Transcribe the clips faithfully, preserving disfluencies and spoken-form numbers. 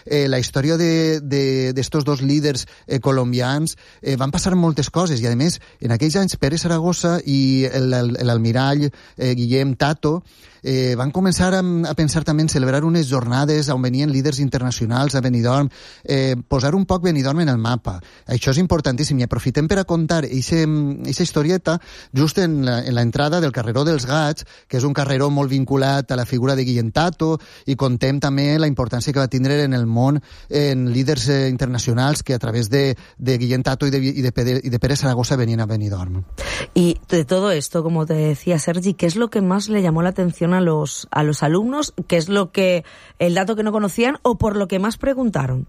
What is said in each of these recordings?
eh, la història d'estos dos líders eh, colombians, eh, van passar moltes coses, i a més, en aquells anys Pere Saragossa i l'almirall eh, Guillem Tato eh, van començar a, a pensar també en celebrar unes jornades on venien líders internacionals a Benidorm, eh, posar un poc Benidorm en el mapa. Això és importantíssim, i aprofitem per a contar aquesta historieta just en l'entrada del carreró dels Gats, que és un carreró molt vinculat a la figura de Guillem Tato, i contem també la importància que va tindre en el món en líders eh, internacionals que a través de, de Guillem Tato y de, y, de Pere, y de Pere Saragossa venían a Benidorm. Y de todo esto, como te decía Sergi, ¿qué es lo que más le llamó la atención a los, a los alumnos? ¿Qué es lo que, el dato que no conocían o por lo que más preguntaron?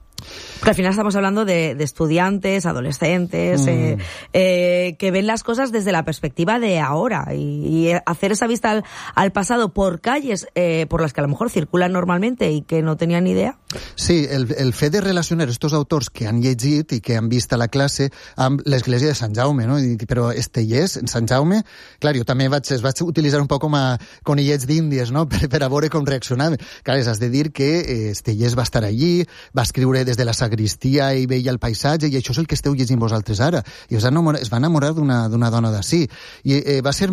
Porque al final estamos hablando de, de estudiantes, adolescentes, mm. eh, eh, que ven las cosas desde la perspectiva de ahora, y, y hacer esa vista al, al pasado por calles eh, por las que a lo mejor circulan normalmente y que no tenían ni idea. Sí, el, el fet de relacionar estos autors que han llegit i que han vist a la classe amb l'església de Sant Jaume, no? I, però Estellers, en Sant Jaume, clar, jo també vaig, es vaig utilitzar un poc com a conillets d'índies, no? Per, per a veure com reaccionaven. Clar, has de dir que eh, Estellers va estar allí, va escriure des de la sagristia i veia el paisatge, i això és el que esteu llegint vosaltres ara. I es va enamorar, es va enamorar d'una dona d'ací. I eh, va ser,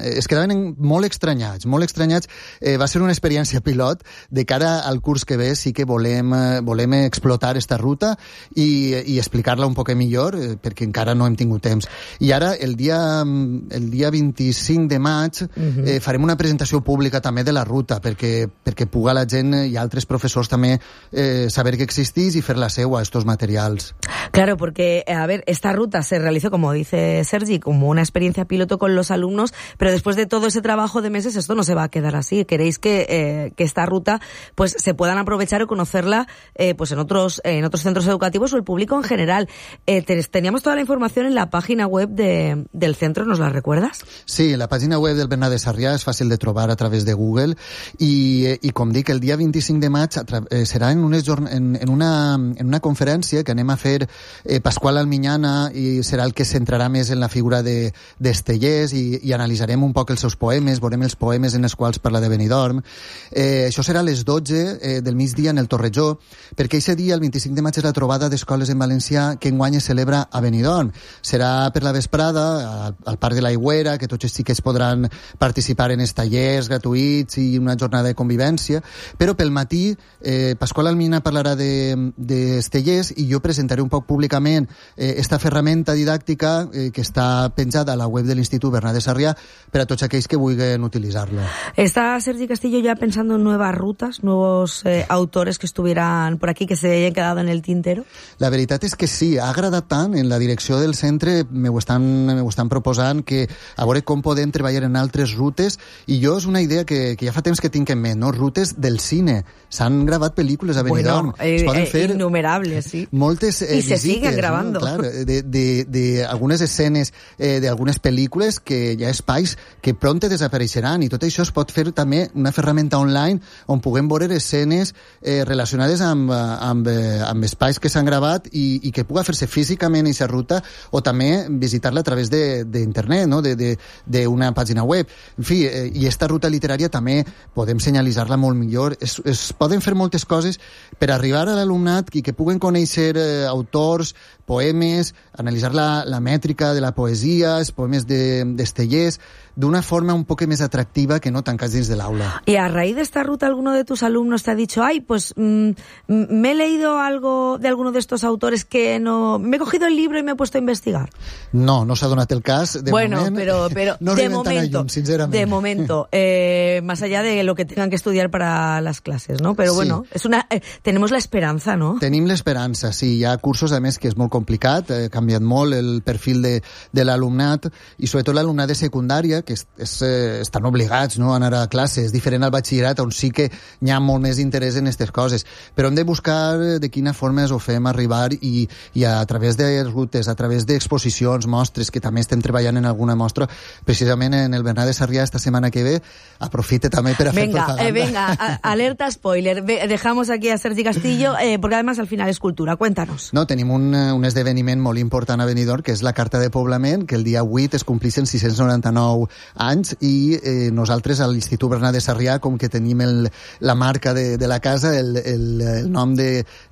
es quedaven molt estranyats, molt estranyats. Eh, va ser una experiència pilot de cara al curs que ve. Sí que volem, eh, volem explotar esta ruta i, i explicar-la un poc millor, eh, perquè encara no hem tingut temps. I ara, el dia, el dia vint-i-cinc de maig, uh-huh. eh, farem una presentació pública també de la ruta, perquè, perquè puga la gent i altres professors també eh, saber que existís y hacer la seua a estos materials. Claro, porque, a ver, esta ruta se realizó, como dice Sergi, como una experiencia piloto con los alumnos, pero después de todo ese trabajo de meses, esto no se va a quedar así. Queréis que, eh, que esta ruta pues se puedan aprovechar o conocerla eh, pues en otros en otros centros educativos o el público en general. Eh, teníamos toda la información en la página web de, del centro, ¿nos la recuerdas? Sí, la página web del Bernat de Sarrià és fàcil de trobar a través de Google, i, i com dic, el dia vint-i-cinc de maig eh, serà en, unes, en, en una en una conferència que anem a fer eh, Pasqual Almiñana, i serà el que es centrarà més en la figura d'Estellers, de, i, i analitzarem un poc els seus poemes, veurem els poemes en els quals parla de Benidorm. Eh, això serà a les dotze eh, del migdia en el Torrejó, perquè aquest dia, el vint-i-cinc de maig, és la trobada d'escoles en valencià que enguany es celebra a Benidorm. Serà per la vesprada, al, al Parc de l'Aigüera, que tots els xiquets podran participar en els tallers gratuïts i una jornada de convivència, però pel matí eh, Pasqual Almiñana parlarà de d'Estellers, i jo presentaré un poc públicament eh, esta ferramenta didàctica eh, que està penjada a la web de l'Institut Bernat de Sarrià per a tots aquells que vulguin utilitzar-lo. ¿Está Sergi Castillo ya pensando en nuevas rutas, nuevos eh, autores que estuvieran por aquí, que se hayan quedado en el tintero? La veritat és que sí, ha agradat tant. En la direcció del centre me ho estan, me ho estan proposant, que a veure com podem treballar en altres rutes, i jo és una idea que, que ja fa temps que tinc en ment, no? Rutes del cine. S'han gravat pel·lícules a Benidorm. Bueno, eh, es poden fer innumerables, sí. Moltes eh, y se visites, siguen grabando. ¿no? Claro, de, de, de algunes escenes eh, d'algunes pel·lícules que hi ha espais que pronte desapareixeran, i tot això es pot fer també una ferramenta online on puguem veure escenes eh, relacionades amb, amb, amb espais que s'han gravat, i, i que puga fer-se físicament aquesta ruta, o també visitar-la a través d'internet, no? d'una pàgina web. En fi, eh, i esta ruta literària també podem senyalitzar-la molt millor. Es, es poden fer moltes coses per arribar a l'alumnat i que puguen conèixer eh, autors, poemes, analitzar la, la mètrica de la poesia, els poemes d'Estellers, de, d'una forma un poco más atractiva que no tancas dins de l'aula. Y a raíz de esta ruta, ¿alguno de tus alumnos te ha dicho, ay, pues mmm, me he leído algo de alguno de estos autores que no... me he cogido el libro y me he puesto a investigar? No, no s'ha donat el cas, de bueno, moment. Bueno, pero, pero no de momento, lluny, de momento, eh, más allá de lo que tengan que estudiar para las clases, ¿no? Pero sí. Bueno, es una, eh, tenemos la esperanza, ¿no? Tenim l'esperança, sí. Hi ha cursos, a més, que és molt complicat, ha eh, canviat molt el perfil de, de l'alumnat, i sobretot l'alumnat de secundària, que és, és, eh, estan obligats, no?, a anar a classe. És diferent al batxillerat, on sí que hi ha molt més interès en aquestes coses. Però hem de buscar de quina forma es ho fem arribar, i, i a través de rutes, a través d'exposicions, mostres, que també estem treballant en alguna mostra, precisament en el Bernat de Sarrià esta setmana que ve. Aprofite també per a fer venga, propaganda. Eh, venga, a, alerta spoiler. Dejamos aquí a Sergi Castillo, eh, porque además al final es cultura. Cuéntanos. No, tenim un, un esdeveniment molt important a Benidorm, que és la Carta de Poblament, que el dia vuit es complixen sis-cents noranta-nou anys, i eh, nosaltres a l'Institut Bernat de Sarrià, com que tenim el, la marca de, de la casa, el, el, el nom de,